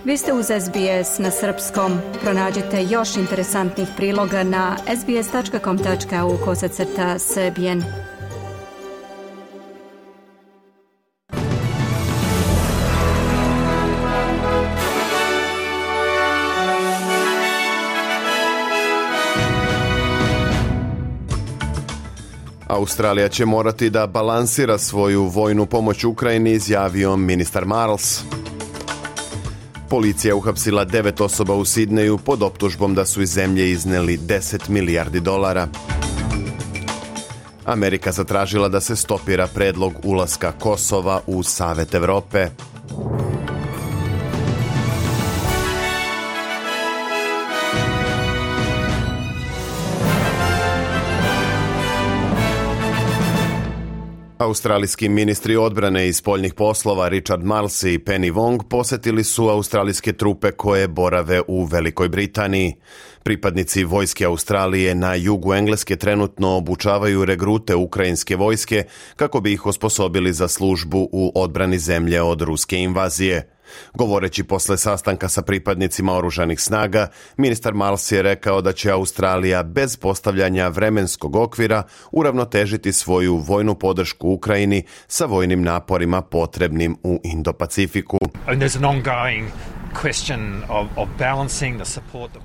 Vi ste uz SBS na srpskom. Pronađite još interesantnih priloga na sbs.com.au/srbijen. Australija će morati da balansira svoju vojnu pomoć Ukrajini, izjavio ministar Marles. Policija uhapsila 9 osoba u Sidneju pod optužbom da su iz zemlje izneli $10 milijardi. Amerika zatražila da se stopira predlog ulaska Kosova u Savet Evrope. Australijski ministri odbrane i spoljnih poslova Richard Marles i Penny Wong posjetili su australijske trupe koje borave u Velikoj Britaniji. Pripadnici vojske Australije na jugu Engleske trenutno obučavaju regrute ukrajinske vojske kako bi ih osposobili za službu u odbrani zemlje od ruske invazije. Govoreći posle sastanka sa pripadnicima oružanih snaga, ministar Marles je rekao da će Australija bez postavljanja vremenskog okvira uravnotežiti svoju vojnu podršku Ukrajini sa vojnim naporima potrebnim u Indo-Pacifiku.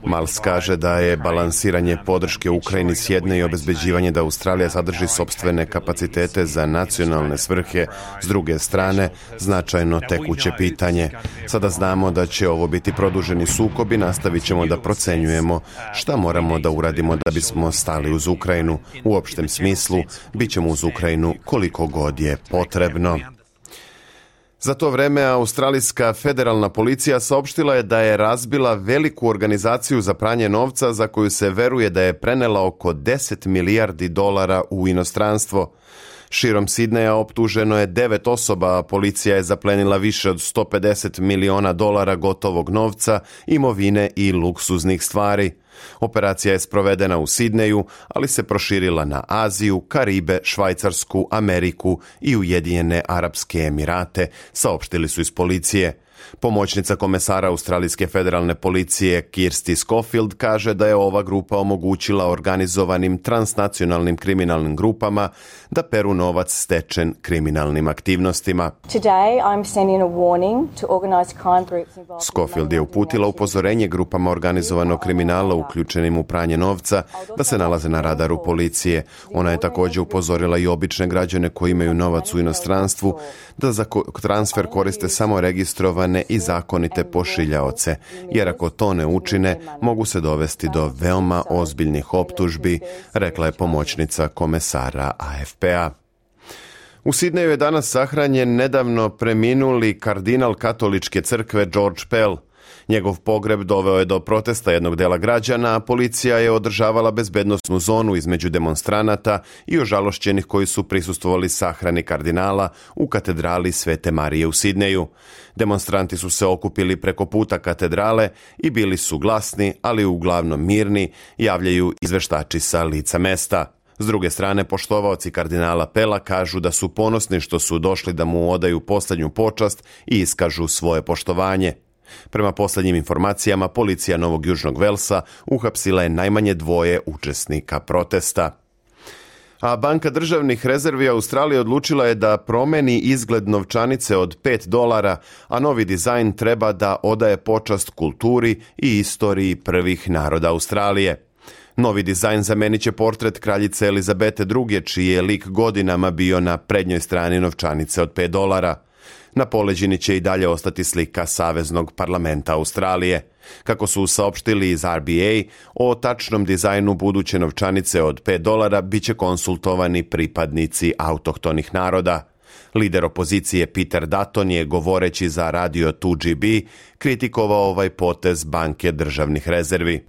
Marles kaže da je balansiranje podrške Ukrajini s jedne i obezbeđivanje da Australija zadrži sopstvene kapacitete za nacionalne svrhe s druge strane značajno tekuće pitanje. Sada znamo da će ovo biti produženi sukob i nastavit ćemo da procenjujemo šta moramo da uradimo da bismo stali uz Ukrajinu. U opštem smislu, bit ćemo uz Ukrajinu koliko god je potrebno. Za to vreme australijska federalna policija saopštila je da je razbila veliku organizaciju za pranje novca za koju se veruje da je prenela oko $10 milijardi u inostranstvo. Širom Sidneja optuženo je 9 osoba, a policija je zaplenila više od $150 miliona gotovog novca, imovine i luksuznih stvari. Operacija je sprovedena u Sidneju, ali se proširila na Aziju, Karibe, Švajcarsku, Ameriku i Ujedinjene Arapske Emirate, saopštili su iz policije. Pomoćnica komesara Australijske federalne policije Kirsty Schofield kaže da je ova grupa omogućila organizovanim transnacionalnim kriminalnim grupama da peru novac stečen kriminalnim aktivnostima. Schofield je uputila upozorenje grupama organizovanog kriminala uključenim u pranje novca da se nalaze na radaru policije. Ona je također upozorila i obične građane koji imaju novac u inostranstvu da za transfer koriste samo registrovane i zakonite pošiljaoce, jer ako to ne učine, mogu se dovesti do veoma ozbiljnih optužbi, rekla je pomoćnica komesara AFP-a. U Sidneju je danas sahranjen nedavno preminuli kardinal katoličke crkve George Pell. Njegov pogreb doveo je do protesta jednog dela građana, a policija je održavala bezbednosnu zonu između demonstranata i ožalošćenih koji su prisustvovali sahrani kardinala u katedrali Svete Marije u Sidneju. Demonstranti su se okupili preko puta katedrale i bili su glasni, ali uglavnom mirni, javljaju izveštači sa lica mesta. S druge strane, poštovaoci kardinala Pela kažu da su ponosni što su došli da mu odaju posljednju počast i iskažu svoje poštovanje. Prema posljednjim informacijama, policija Novog Južnog Velsa uhapsila je najmanje 2 učesnika protesta. A Banka državnih rezervi Australije odlučila je da promeni izgled novčanice od $5, a novi dizajn treba da odaje počast kulturi i istoriji prvih naroda Australije. Novi dizajn zamenit će portret kraljice Elizabete II, čiji je lik godinama bio na prednjoj strani novčanice od $5. Na poleđini će i dalje ostati slika Saveznog parlamenta Australije. Kako su saopštili iz RBA, o tačnom dizajnu buduće novčanice od $5 bit će konsultovani pripadnici autohtonih naroda. Lider opozicije Peter Dutton je, govoreći za radio 2GB, kritikovao ovaj potez Banke državnih rezervi.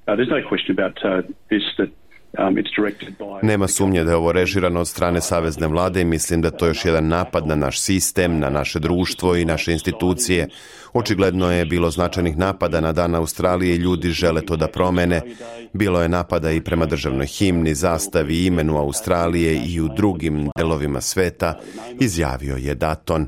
Nema sumnje da je ovo režirano od strane savezne vlade i mislim da to je još jedan napad na naš sistem, na naše društvo i naše institucije. Očigledno je bilo značajnih napada na Dan Australije i ljudi žele to da promene. Bilo je napada i prema državnoj himni, zastavi i imenu Australije i u drugim delovima sveta, izjavio je Dutton.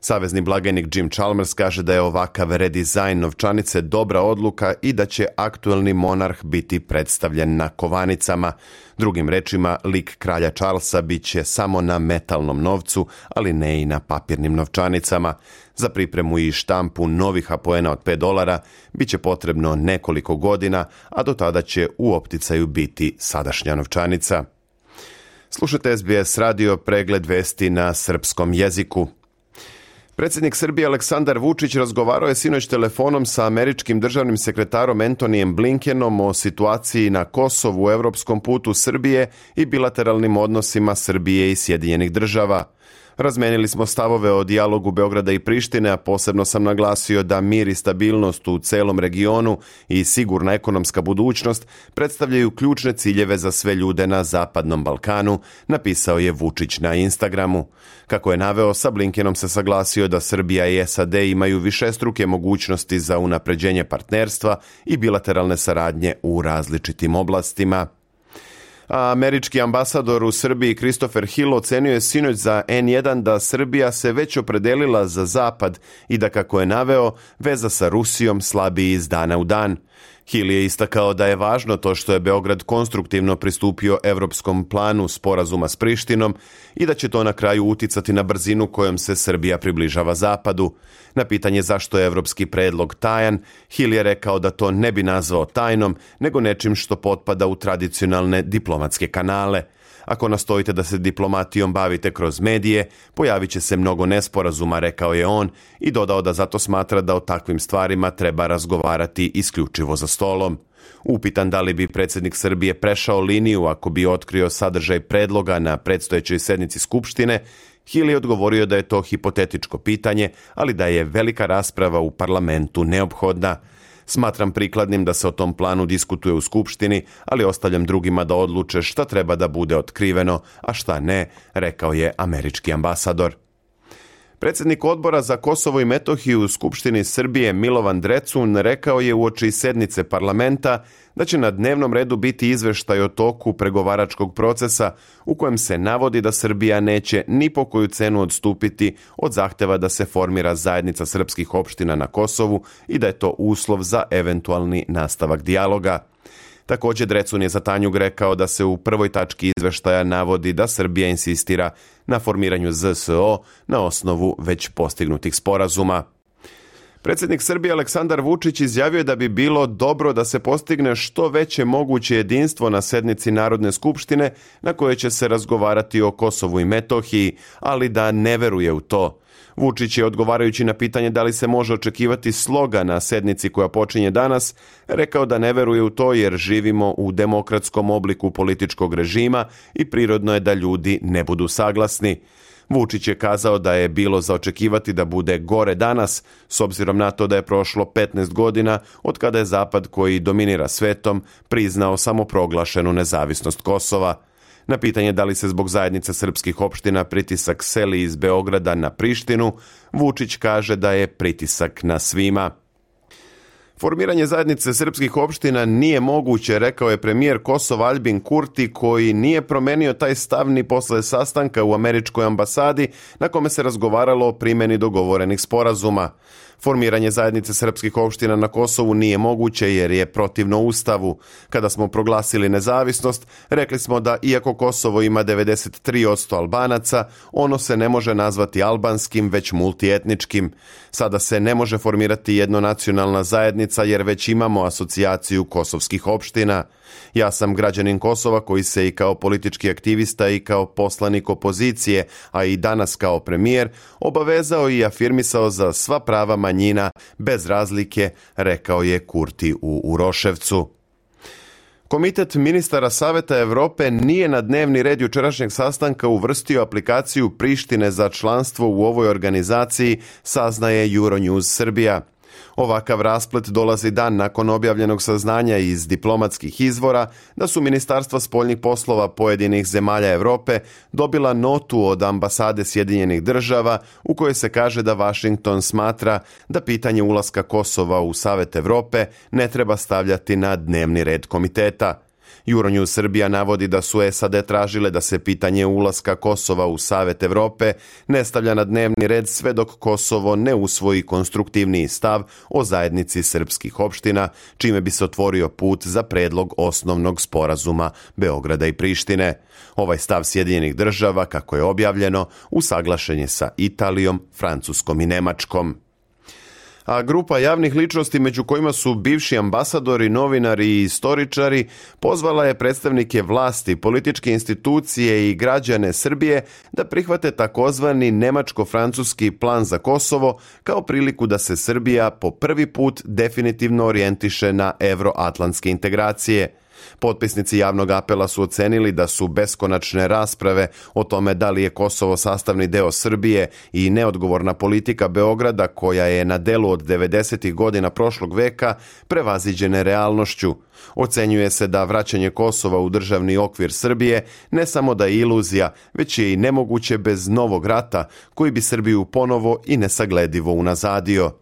Savezni blagajnik Jim Chalmers kaže da je ovakav redizajn novčanice dobra odluka i da će aktuelni monarh biti predstavljen na kovanicama. Drugim rečima, lik kralja Charlesa bit će samo na metalnom novcu, ali ne i na papirnim novčanicama. Za pripremu i štampu novih apoena od $5 bit će potrebno nekoliko godina, a do tada će u opticaju biti sadašnja novčanica. Slušajte SBS radio, pregled vesti na srpskom jeziku. Predsjednik Srbije Aleksandar Vučić razgovarao je sinoć telefonom sa američkim državnim sekretarom Antonijem Blinkenom o situaciji na Kosovu, europskom putu Srbije i bilateralnim odnosima Srbije i Sjedinjenih Država. Razmenili smo stavove o dijalogu Beograda i Prištine, a posebno sam naglasio da mir i stabilnost u celom regionu i sigurna ekonomska budućnost predstavljaju ključne ciljeve za sve ljude na Zapadnom Balkanu, napisao je Vučić na Instagramu. Kako je naveo, sa Blinkenom se saglasio da Srbija i SAD imaju višestruke mogućnosti za unapređenje partnerstva i bilateralne saradnje u različitim oblastima. Američki ambasador u Srbiji Christopher Hill ocenio je sinoć za N1 da Srbija se već opredelila za Zapad i da, kako je naveo, veza sa Rusijom slabi iz dana u dan. Hill je istakao da je važno to što je Beograd konstruktivno pristupio evropskom planu sporazuma s Prištinom i da će to na kraju uticati na brzinu kojom se Srbija približava Zapadu. Na pitanje zašto je evropski predlog tajan, Hill je rekao da to ne bi nazvao tajnom, nego nečim što potpada u tradicionalne diplomatske kanale. Ako nastojite da se diplomatijom bavite kroz medije, pojavit će se mnogo nesporazuma, rekao je on, i dodao da zato smatra da o takvim stvarima treba razgovarati isključivo za stolom. Upitan da li bi predsjednik Srbije prešao liniju ako bi otkrio sadržaj predloga na predstojećoj sednici Skupštine, Hill je odgovorio da je to hipotetičko pitanje, ali da je velika rasprava u parlamentu neophodna. Smatram prikladnim da se o tom planu diskutuje u Skupštini, ali ostavljam drugima da odluče šta treba da bude otkriveno, a šta ne, rekao je američki ambasador. Predsjednik odbora za Kosovo i Metohiju u Skupštini Srbije Milovan Drecun rekao je uoči sednice parlamenta da će na dnevnom redu biti izveštaj o toku pregovaračkog procesa u kojem se navodi da Srbija neće ni po koju cenu odstupiti od zahteva da se formira zajednica srpskih opština na Kosovu i da je to uslov za eventualni nastavak dijaloga. Također Drecun je za Tanjug rekao da se u prvoj tački izveštaja navodi da Srbija insistira na formiranju ZSO na osnovu već postignutih sporazuma. Predsjednik Srbije Aleksandar Vučić izjavio je da bi bilo dobro da se postigne što veće moguće jedinstvo na sednici Narodne skupštine na kojoj će se razgovarati o Kosovu i Metohiji, ali da ne veruje u to. Vučić je, odgovarajući na pitanje da li se može očekivati sloga na sednici koja počinje danas, rekao da ne veruje u to jer živimo u demokratskom obliku političkog režima i prirodno je da ljudi ne budu saglasni. Vučić je kazao da je bilo za očekivati da bude gore danas, s obzirom na to da je prošlo 15 godina od kada je Zapad, koji dominira svetom, priznao samoproglašenu nezavisnost Kosova. Na pitanje da li se zbog zajednice srpskih opština pritisak seli iz Beograda na Prištinu, Vučić kaže da je pritisak na svima. Formiranje zajednice srpskih opština nije moguće, rekao je premijer Kosova Aljbin Kurti, koji nije promenio taj stav ni posle sastanka u američkoj ambasadi na kome se razgovaralo o primjeni dogovorenih sporazuma. Formiranje zajednice srpskih opština na Kosovu nije moguće jer je protivno Ustavu. Kada smo proglasili nezavisnost, rekli smo da iako Kosovo ima 93% Albanaca, ono se ne može nazvati albanskim, već multietničkim. Sada se ne može formirati jednonacionalna zajednica jer već imamo asocijaciju kosovskih opština. Ja sam građanin Kosova koji se i kao politički aktivista i kao poslanik opozicije, a i danas kao premijer, obavezao i afirmisao za sva prava manjina bez razlike, rekao je Kurti u Uroševcu. Komitet ministara Saveta Evrope nije na dnevni red jučerašnjeg sastanka uvrstio aplikaciju Prištine za članstvo u ovoj organizaciji, saznaje Euronews Srbija. Ovakav rasplet dolazi dan nakon objavljenog saznanja iz diplomatskih izvora da su ministarstva spoljnih poslova pojedinih zemalja Evrope dobila notu od ambasade Sjedinjenih Država u kojoj se kaže da Washington smatra da pitanje ulaska Kosova u Savet Evrope ne treba stavljati na dnevni red komiteta. Euronews Srbija navodi da su SAD tražile da se pitanje ulaska Kosova u Savet Evrope ne stavlja na dnevni red sve dok Kosovo ne usvoji konstruktivniji stav o zajednici srpskih opština, čime bi se otvorio put za predlog osnovnog sporazuma Beograda i Prištine. Ovaj stav Sjedinjenih država, kako je objavljeno, usaglašen je sa Italijom, Francuskom i Nemačkom. A grupa javnih ličnosti, među kojima su bivši ambasadori, novinari i istoričari, pozvala je predstavnike vlasti, političke institucije i građane Srbije da prihvate takozvani nemačko-francuski plan za Kosovo kao priliku da se Srbija po prvi put definitivno orijentiše na evroatlantske integracije. Potpisnici javnog apela su ocenili da su beskonačne rasprave o tome da li je Kosovo sastavni deo Srbije i neodgovorna politika Beograda, koja je na delu od 90. godina prošlog veka, prevaziđene realnošću. Ocenjuje se da vraćanje Kosova u državni okvir Srbije ne samo da je iluzija, već je i nemoguće bez novog rata koji bi Srbiju ponovo i nesagledivo unazadio.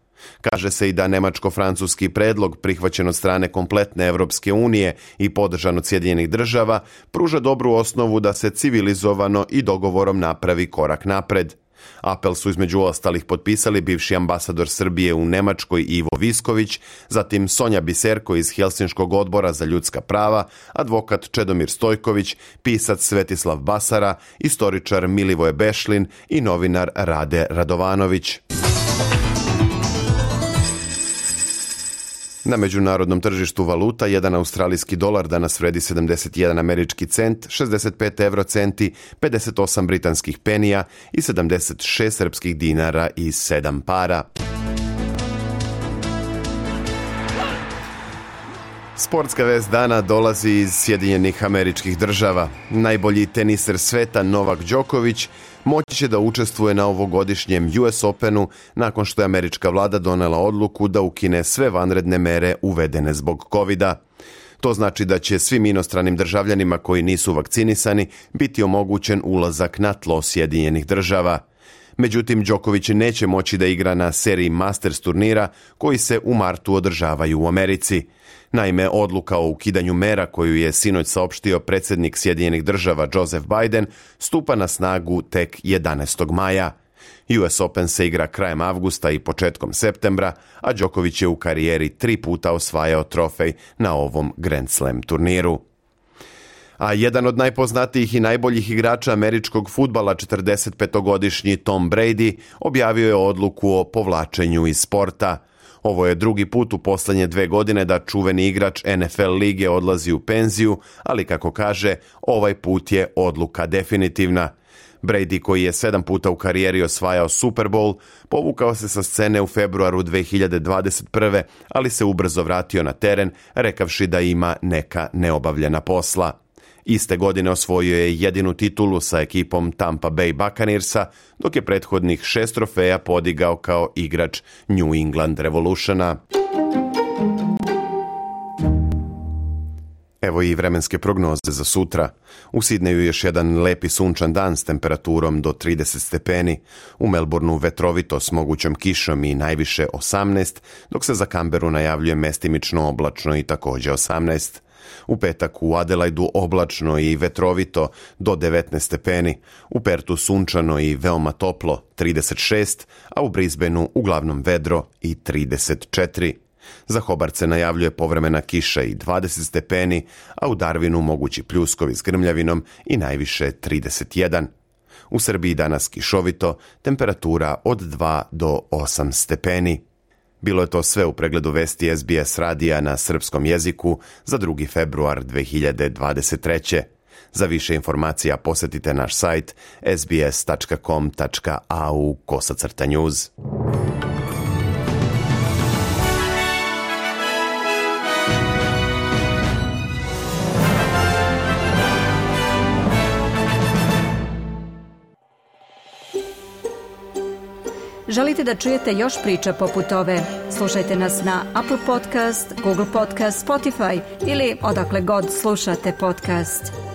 Kaže se i da nemačko-francuski predlog, prihvaćen od strane kompletne Evropske unije i podržan od Sjedinjenih država, pruža dobru osnovu da se civilizovano i dogovorom napravi korak napred. Apel su između ostalih potpisali bivši ambasador Srbije u Nemačkoj Ivo Visković, zatim Sonja Biserko iz Helsinškog odbora za ljudska prava, advokat Čedomir Stojković, pisac Svetislav Basara, istoričar Milivoje Bešlin i novinar Rade Radovanović. Na međunarodnom tržištu valuta, jedan australijski dolar danas vredi 71 američki cent, 65 eurocenti, 58 britanskih penija i 76 srpskih dinara i 7 para. Sportska vest dana dolazi iz Sjedinjenih Američkih Država. Najbolji teniser sveta Novak Đoković moći će da učestvuje na ovogodišnjem US Openu nakon što je američka vlada donela odluku da ukine sve vanredne mere uvedene zbog covida. To znači da će svim inostranim državljanima koji nisu vakcinisani biti omogućen ulazak na tlo Sjedinjenih Država. Međutim, Đoković neće moći da igra na seriji Masters turnira koji se u martu održavaju u Americi. Naime, odluka o ukidanju mera koju je sinoć saopštio predsjednik Sjedinjenih Država Joseph Biden stupa na snagu tek 11. maja. US Open se igra krajem avgusta i početkom septembra, a Đoković je u karijeri 3 puta osvajao trofej na ovom Grand Slam turniru. A jedan od najpoznatijih i najboljih igrača američkog fudbala, 45-godišnji Tom Brady, objavio je odluku o povlačenju iz sporta. Ovo je drugi put u posljednje 2 godine da čuveni igrač NFL lige odlazi u penziju, ali kako kaže, ovaj put je odluka definitivna. Brady, koji je 7 puta u karijeri osvajao Super Bowl, povukao se sa scene u februaru 2021. ali se ubrzo vratio na teren, rekavši da ima neka neobavljena posla. Iste godine osvojio je jedinu titulu sa ekipom Tampa Bay Buccaneersa, dok je prethodnih 6 trofeja podigao kao igrač New England Revolutiona. Evo i vremenske prognoze za sutra. U Sidneju još jedan lepi sunčan dan s temperaturom do 30 stepeni. U Melbourneu vetrovito s mogućom kišom i najviše 18, dok se za Canberu najavljuje mestimično oblačno i također 18. U petak u Adelaidu oblačno i vetrovito do 19 stepeni, u Pertu sunčano i veoma toplo 36, a u Brisbaneu uglavnom vedro i 34. Za Hobart se najavljuje povremena kiša i 20 stepeni, a u Darwinu mogući pljuskovi s grmljavinom i najviše 31. U Srbiji danas kišovito, temperatura od 2 do 8 stepeni. Bilo je to sve u pregledu vesti SBS radija na srpskom jeziku za 2. februar 2023. Za više informacija posjetite naš sajt sbs.com.au/news. Želite da čujete još priča poput ove? Slušajte nas na Apple Podcast, Google Podcast, Spotify ili odakle god slušate podcast.